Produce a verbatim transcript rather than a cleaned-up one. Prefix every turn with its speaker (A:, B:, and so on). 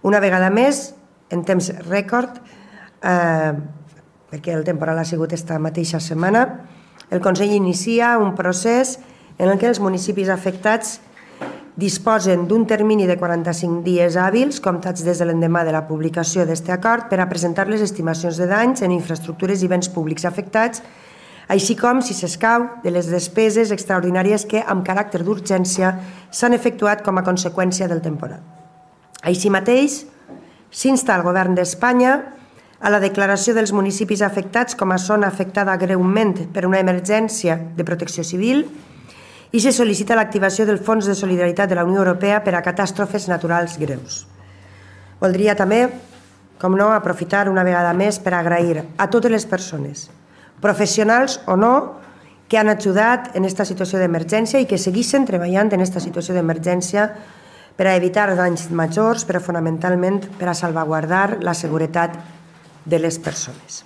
A: Una vegada més, en temps rècord, eh, perquè el temporal ha sigut esta mateixa setmana, el Consell inicia un procés en què els municipis afectats disposen d'un termini de quaranta-cinc dies hàbils, comptats des de l'endemà de la publicació d'aquest acord, per a presentar les estimacions de danys en infraestructures i béns públics afectats, així com, si s'escau, de les despeses extraordinàries que, amb caràcter d'urgència, s'han efectuat com a conseqüència del temporal. Així mateix, s'insta al Govern d'Espanya a la declaració dels municipis afectats com a zona afectada greument per una emergència de protecció civil i se sol·licita l'activació del Fons de Solidaritat de la Unió Europea per a catàstrofes naturals greus. Voldria també, com no, aprofitar una vegada més per agrair a totes les persones, professionals o no, que han ajudat en aquesta situació d'emergència i que segueixen treballant en aquesta situació d'emergència per a evitar danys majors, però fonamentalment per a salvaguardar la seguretat de les persones.